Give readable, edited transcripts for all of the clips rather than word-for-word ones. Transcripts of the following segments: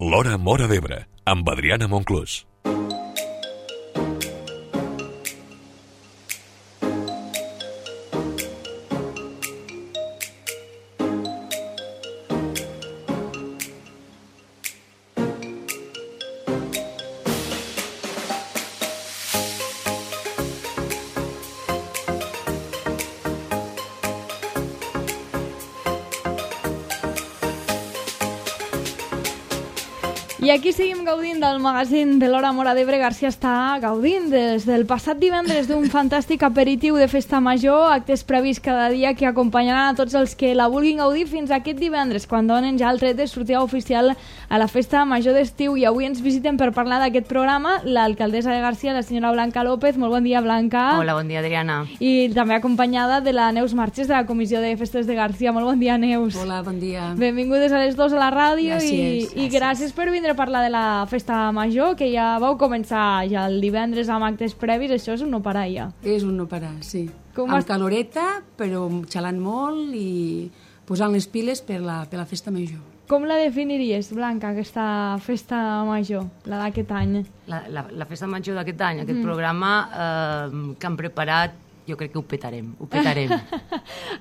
L'Hora Móra d'Ebre, amb Adriana Monclús. I aquí seguim gaudint del magazín de l'Hora Móra d'Ebre. Garcia està gaudint des del passat divendres d'un fantàstic aperitiu de festa major, actes previs cada dia que acompanyaran a tots els que la vulguin gaudir fins aquest divendres, quan donen ja el tret de sortida oficial a la festa major d'estiu. I avui ens visiten per parlar d'aquest programa l'alcaldessa de Garcia, la senyora Blanca López. Molt bon dia, Blanca. Hola, bon dia, Adriana. I també acompanyada de la Neus Marches, de la Comissió de Festes de Garcia. Molt bon dia, Neus. Hola, bon dia. Benvingudes a les dos a la ràdio. Gràcies, i gràcies per vindre a parlar de la festa major, que ja vau començar ja el divendres amb actes previs. Això és un no parar ja. És un no parar, sí. Amb caloreta, però xalant molt i posant les piles per la festa major. Com la definiries, Blanca, aquesta festa major, la d'aquest any? La festa major d'aquest any, aquest programa que han preparat, jo crec que ho petarem.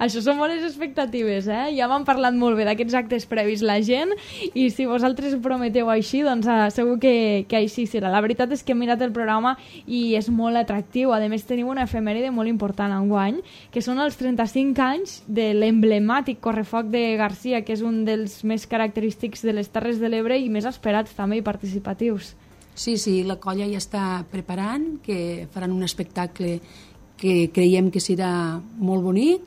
Això són bones expectatives, eh? Ja m'han parlat molt bé d'aquests actes previs la gent, i si vosaltres ho prometeu així, doncs segur que així serà. La veritat és que he mirat el programa i és molt atractiu. A més, tenim una efemèride molt important enguany, que són els 35 anys de l'emblemàtic correfoc de Garcia, que és un dels més característics de les Terres de l'Ebre i més esperats també i participatius. Sí, la colla ja està preparant, que faran un espectacle que creiem que serà molt bonic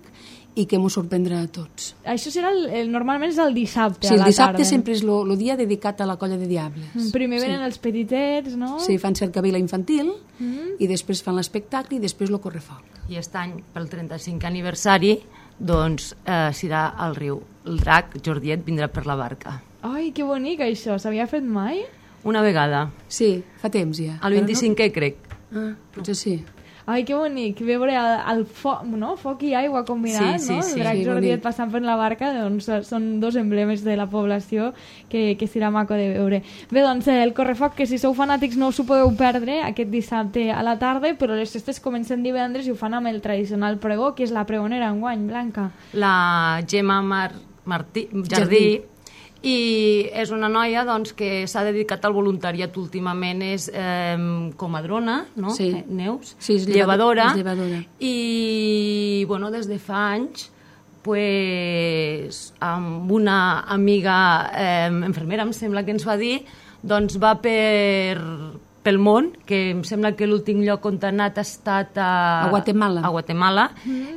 i que ens sorprendrà a tots. Això serà normalment és el dissabte, sí, a la tarda. Sí, el dissabte sempre és el dia dedicat a la colla de diables. Primer venen els petitets, no? Sí, fan cercavila infantil i després fan l'espectacle i després el correfoc. I aquest any, pel 35 aniversari, doncs serà al riu. El drac Jordiet vindrà per la barca. Ai, que bonic això. S'havia fet mai? Una vegada. Sí, fa temps ja. El 25è, crec. Potser sí. Ai, que bonic, veure el foc, no? Foc i aigua combinat, sí, no? Sí, el drac Jordiet passant per la barca, doncs són dos emblemes de la població que serà maco de veure. Bé, doncs el correfoc, que si sou fanàtics no us ho podeu perdre aquest dissabte a la tarda, però les festes comencen divendres i ho fan amb el tradicional pregó, que és la pregonera enguany, Blanca. La Gemma Jardí. I és una noia doncs, que s'ha dedicat al voluntariat últimament, és comadrona, no? Sí. Neus? Sí, és llevadora. I, bueno, des de fa anys, pues, amb una amiga infermera, em sembla que ens va dir, doncs va pel món, que em sembla que l'últim lloc on ha anat ha estat a Guatemala,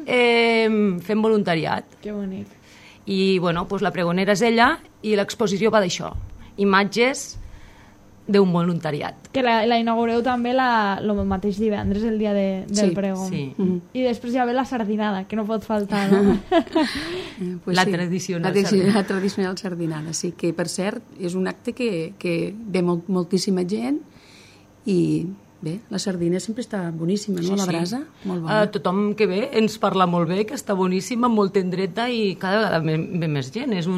fent voluntariat. Que bonic. I bueno, doncs la pregonera és ella i l'exposició va d'això, imatges d'un voluntariat. Que la inaugureu també el mateix divendres, el dia del pregó. Sí. I després ja ve la sardinada, que no pot faltar, no? Pues la tradicional sardinada, sí, que per cert és un acte que ve moltíssima gent i bé, la sardina sempre està boníssima, no? La brasa, molt bona. Tothom que ve ens parla molt bé, que està boníssima, molt tendreta i cada vegada ve més gent. És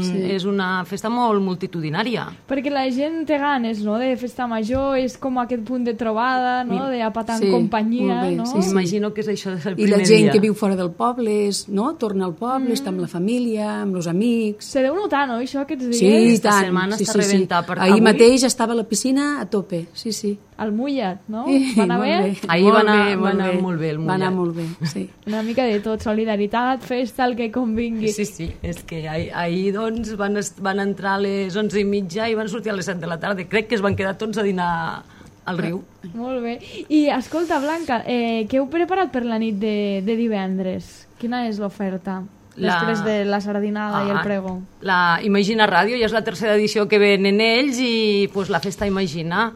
una festa molt multitudinària. Perquè la gent té ganes, no?, de festa major, és com aquest punt de trobada, no?, de apatar en companyia, bé, no? Sí. M'imagino que és això des del primer dia. dia. I la gent que viu fora del poble, torna al poble, està amb la família, amb els amics. Se deu notar, no?, això, aquests dies? Sí, Esta setmana està rebentat. Ahir mateix estava a la piscina a tope, sí. Al mullat, no? Va anar bé? Ahir va anar molt bé el mullat. Va anar molt bé, sí. Una mica de tot, solidaritat, festa, el que convingui. Sí, és que ahir doncs van entrar a les 11:30 i van sortir a les 7 de la tarda. Crec que es van quedar tots a dinar al riu. Molt bé. I escolta, Blanca, què heu preparat per la nit de divendres? Quina és l'oferta? Després de la sardinada i el pregó. La Imagina Ràdio, ja és la tercera edició que venen ells i pues, la festa Imagina.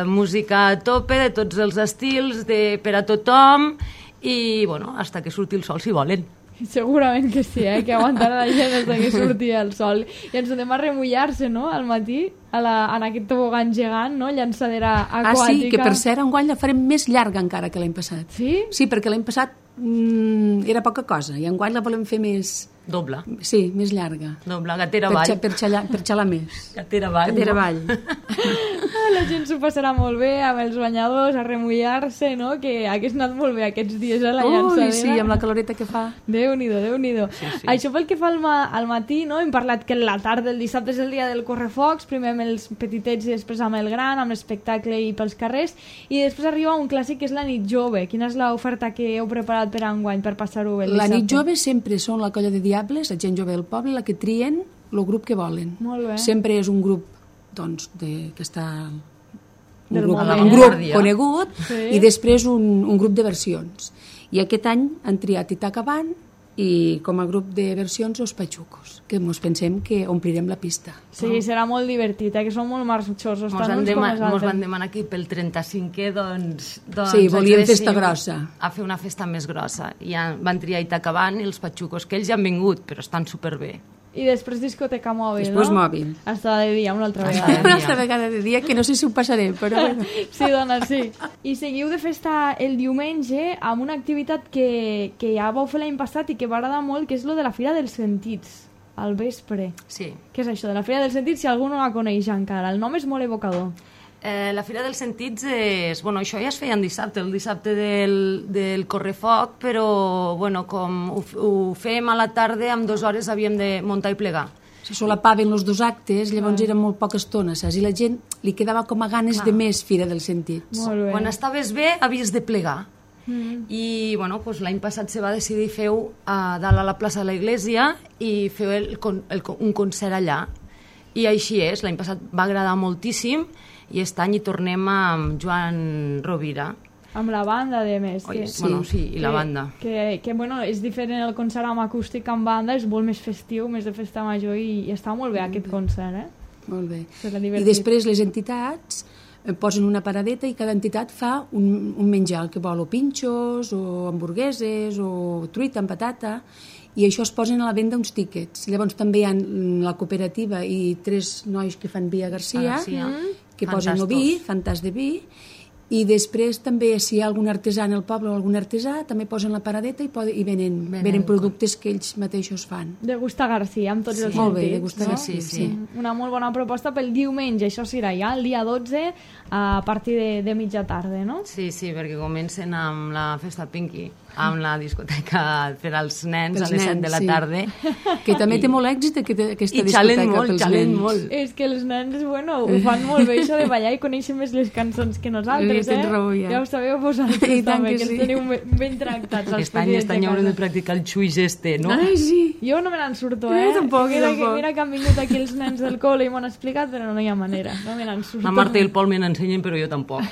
Música a tope, de tots els estils, per a tothom i, bueno, hasta que surti el sol, si volen. Segurament que sí, que aguantarà la gent des que surti el sol. I ens anem a remullar-se, no?, al matí, en aquest tobogan gegant, no?, llançadera aquàtica. Sí, que per cert, enguany la farem més llarga encara que l'any passat. Sí? Sí, perquè l'any passat era poca cosa, i enguany la volem fer més Doble. Sí, més llarga. Doble, gatera avall. Per xalar més. Gatera avall. Gatera avall. La gent s'ho passarà molt bé amb els banyadors, a remullar-se, no? Que hagués anat molt bé aquests dies a la llançadera. Ui, sí, amb la caloreta que fa. Déu-n'hi-do, Déu-n'hi-do. Sí. Això pel que fa al matí, no? Hem parlat que la tarda del dissabte és el dia del correfocs, primer amb els petitets i després amb el gran, amb l'espectacle i pels carrers, i després arriba un clàssic que és la nit jove. Quina és l'oferta que heu preparat per enguany, per passar-ho bé el dissabte? La nit jove sempre són la colla de diables, la gent jove del poble, la que trien el grup que volen. Molt bé. Sempre és un grup doncs, que està un Del grup, moment. un grup conegut Sí. i després un grup de versions. I aquest any han triat Itacabant i com a grup de versions els Patxucos, que ens pensem que omplirem la pista. Sí, serà molt divertit, que són molt marxosos, tant uns com els Mos van altres. demanar que pel 35è doncs Sí, volien ens festa agradéssim grossa. a fer una festa més grossa. I van triar Itacabant i els Patxucos, que ells ja han vingut, però estan superbé. I després discoteca mòbil, Després no? mòbil. Hasta de dia, una altra Hasta vegada. de dia. Altra vegada de dia, que no sé si ho passaré, però bueno. Sí, dona, sí. I seguiu de festa el diumenge amb una activitat que ja vau fer l'any passat i que va agradar molt, que és lo de la Fira dels Sentits, al vespre. Sí. Què és això de la Fira dels Sentits, si algú no la coneix encara? El nom és molt evocador. La Fira dels Sentits és... Bueno, això ja es feia en dissabte, el dissabte del correfoc, però bueno, com ho fèiem a la tarda, en 2 hores havíem de muntar i plegar. Se solapaven els 2 actes, llavors eren molt poca estona, saps? I la gent li quedava com a ganes de més Fira dels Sentits. Molt bé. Quan estaves bé, havies de plegar. I bueno, doncs l'any passat se va decidir fer-ho a dalt a la plaça de la Iglesia i fer un concert allà. I així és, l'any passat va agradar moltíssim i aquest any hi tornem amb Joan Rovira. Amb la banda, de més. Oi, Que, bueno, sí, i la banda. que bueno, és diferent el concert amb acústic amb banda, és molt més festiu, més de festa major i està molt bé aquest concert, eh? Molt bé. Serà I divertit. després les entitats posen una paradeta i cada entitat fa un menjar, el que vol, o pinxos, o hamburgueses, o truita amb patata, i això es posen a la venda uns tíquets. Llavors també hi ha la cooperativa i 3 nois que fan vi a Garcia, que posen el vi, fan tas de vi, i després també si hi ha algun artesà en el poble o algun artesà també posen la paradeta i venen productes que ells mateixos fan. De Gusta Garcia, amb tots els Molt bé, sentits. de Gusta Garcia, sí. Una molt bona proposta pel diumenge, això serà ja el dia 12 a partir de mitja tarda, no? Sí, perquè comencen amb la festa Pinky, amb la discoteca per als nens a les 7 de la tarda. Que també té molt èxit aquesta discoteca pels xalen nens. molt. És que els nens, bueno, ho fan molt bé, això de ballar i coneixen més les cançons que nosaltres, Tens raó, ja. Ja ho sabeu vosaltres I tant també, que que sí. els teniu ben tractats. Aquest any haurem de practicar el xuix este, no? Ai, sí. Jo no me n'en surto, Jo tampoc, Mira que han vingut aquí els nens del col·le i m'ho han explicat, però no hi ha manera, no me n'en surto. La Marta i el Pol me n'ensenyen, però jo tampoc.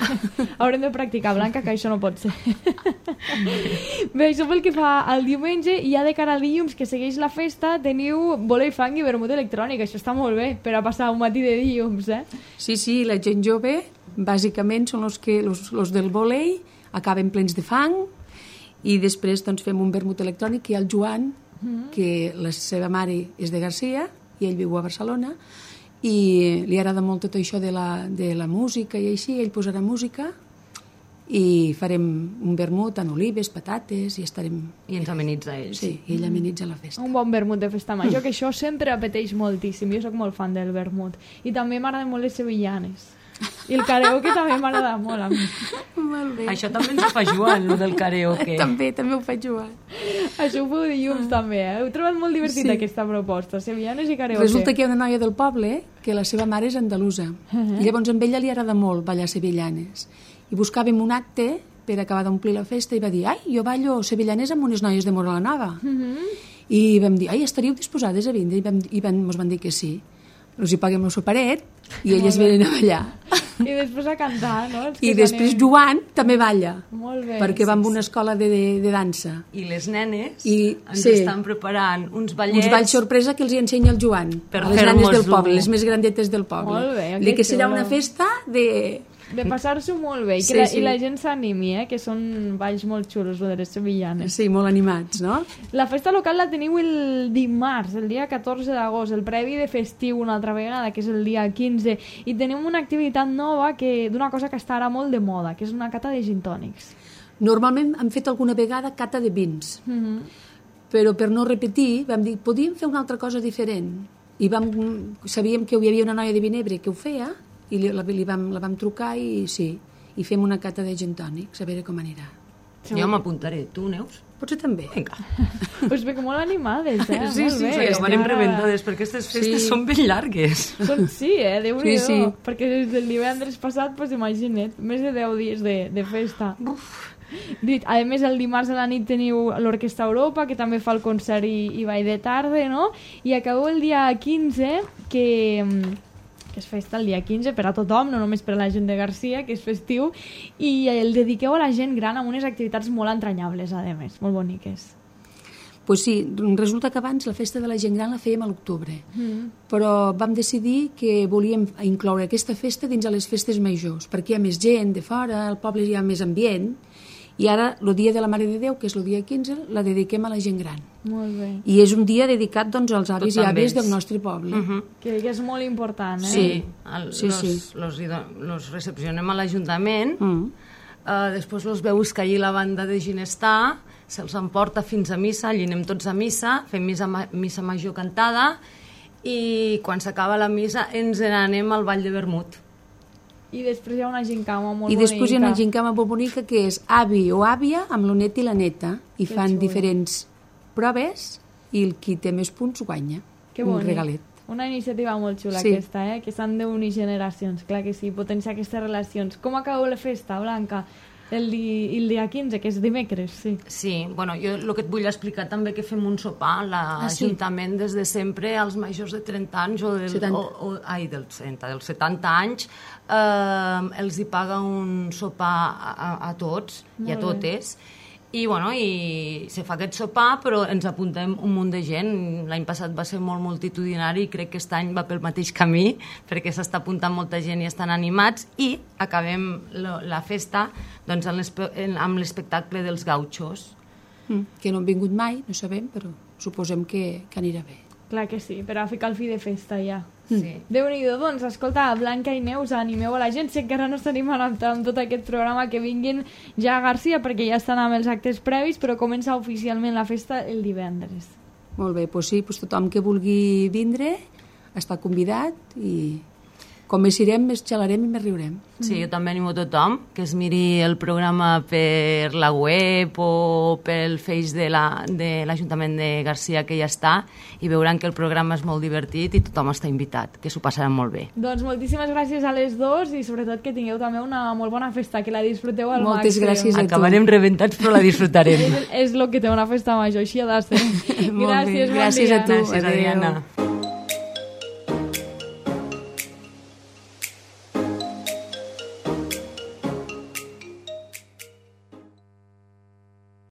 Haurem de practicar, Blanca, que això no pot ser. Bé, això pel que fa al diumenge, i ja de cara al dilluns, que segueix la festa, teniu bola i fang i vermut electrònic. Això està molt bé per a passar un matí de dilluns, eh? Sí, la gent jove, bàsicament, són els del vòlei, acaben plens de fang, i després doncs, fem un vermut electrònic, i el Joan, que la seva mare és de Garcia, i ell viu a Barcelona, i li agrada molt tot això de la música i així, ell posarà música, i farem un vermut amb olives, patates, i estarem... I ens amenitza ells. Sí, i ell amenitza la festa. Un bon vermut de festa major, que això sempre apeteix moltíssim. Jo sóc molt fan del vermut. I també m'agraden molt les sevillanes. I el karaoke també m'agrada molt a mi. Molt bé. Això també ens ho fa Joan, el del karaoke. També ho faig Joan. Això ho feu dilluns també, eh? Heu trobat molt divertit aquesta proposta, sevillanes i karaoke. Resulta que hi ha una noia del poble que la seva mare és andalusa. I llavors amb ella li agrada molt ballar sevillanes. I buscàvem un acte per acabar d'omplir la festa i va dir, ai, jo ballo sevillanes amb unes noies de Móra la Nova. I vam dir, ai, estaríeu disposades a vindre? I ens van dir que sí. Els hi paguem el soperet i elles venen a ballar. I després a cantar, no? I després Joan també balla. Molt bé. Perquè va a una escola de dansa. I les nenes ens sí, estan preparant uns ballets... Uns balls sorpresa que els hi ensenya el Joan. Per a les nenes del fer-nos-ho. poble, les més grandetes del poble. Molt bé, Dic que serà xulo. una festa de passar-s'ho molt bé, Sí, sí. i la gent s'animi, que són balls molt xulos, de les sevillanes. Sí, molt animats, no? La festa local la teniu el dimarts, el dia 14 d'agost, el previ de festiu una altra vegada, que és el dia 15, i tenim una activitat nova d'una cosa que està ara molt de moda, que és una cata de gin tònics. Normalment hem fet alguna vegada cata de vins, però per no repetir vam dir, podíem fer una altra cosa diferent. I sabíem que hi havia una noia de Vinebre que ho feia i la vam trucar i sí, i fem una cata de gin tònics, a veure com anirà. Jo m'apuntaré. Tu, Neus? Potser també. Vinga. Us veig molt animades, Sí, molt bé. perquè venim reventades, perquè aquestes festes són ben llargues. Sí, Déu-n'hi-do. Sí. Perquè des del divendres passat, pues imagina't, més de 10 dies de festa. A més, el dimarts a la nit teniu l'Orquestra Europa, que també fa el concert i ball de tarda, no? I acabeu el dia 15, que és festa el dia 15 per a tothom, no només per a la gent de Garcia, que és festiu, i el dediqueu a la gent gran amb unes activitats molt entranyables, a més, molt boniques. Pues sí, resulta que abans la festa de la gent gran la fèiem a l'octubre, però vam decidir que volíem incloure aquesta festa dins de les festes majors, perquè hi ha més gent de fora, al poble hi ha més ambient, i ara el dia de la Mare de Déu, que és el dia 15, la dediquem a la gent gran. Molt bé. I és un dia dedicat doncs, als avis i àvies del nostre poble. Que és molt important, Sí, los recepcionem a l'Ajuntament, després los veus que allí la banda de Ginestar se'ls emporta fins a missa, allí anem tots a missa, fem missa major cantada, i quan s'acaba la missa ens n'anem al Ball de Vermut. I després hi ha una gincama molt bonica. I després hi ha una gincama molt bonica que és avi o àvia amb el net i la neta, i fan diferents proves i el qui té més punts guanya un regalet. Una iniciativa molt xula aquesta, que s'han d'unir generacions, clar que sí, potenciar aquestes relacions. Com acabeu la festa, Blanca? El dia 15, que és dimecres, sí. Sí, bueno, jo el que et vull explicar també que fem un sopar, l'Ajuntament des de sempre, als majors de 30 anys dels 70 anys, els hi paga un sopar a tots i a totes, i bueno, se fa aquest sopar, però ens apuntem un munt de gent. L'any passat va ser molt multitudinari i crec que aquest any va pel mateix camí, perquè s'està apuntant molta gent i estan animats, i acabem la festa doncs, amb l'espectacle dels gauchos. Que no han vingut mai, no sabem, però suposem que anirà bé. Clar que sí, per a ficar el fi de festa ja. Sí. Déu-n'hi-do, doncs, escolta, Blanca i Neus, animeu a la gent, si encara no estan animant amb tot aquest programa, que vinguin ja a Garcia, perquè ja estan amb els actes previs, però comença oficialment la festa el divendres. Molt bé, doncs sí, tothom que vulgui vindre està convidat, i com més irem, més xalarem i més riurem. Sí, jo també animo a tothom que es miri el programa per la web o pel Face de l'Ajuntament de Garcia, que ja està, i veuran que el programa és molt divertit i tothom està invitat, que s'ho passaran molt bé. Doncs moltíssimes gràcies a les dos i sobretot que tingueu també una molt bona festa, que la disfruteu al màxim. Moltes gràcies a tu. Acabarem rebentats, però la disfrutarem. És el que té una festa major, així ha de ser. Gràcies, bon dia. Gràcies a tu. Gràcies, Adriana.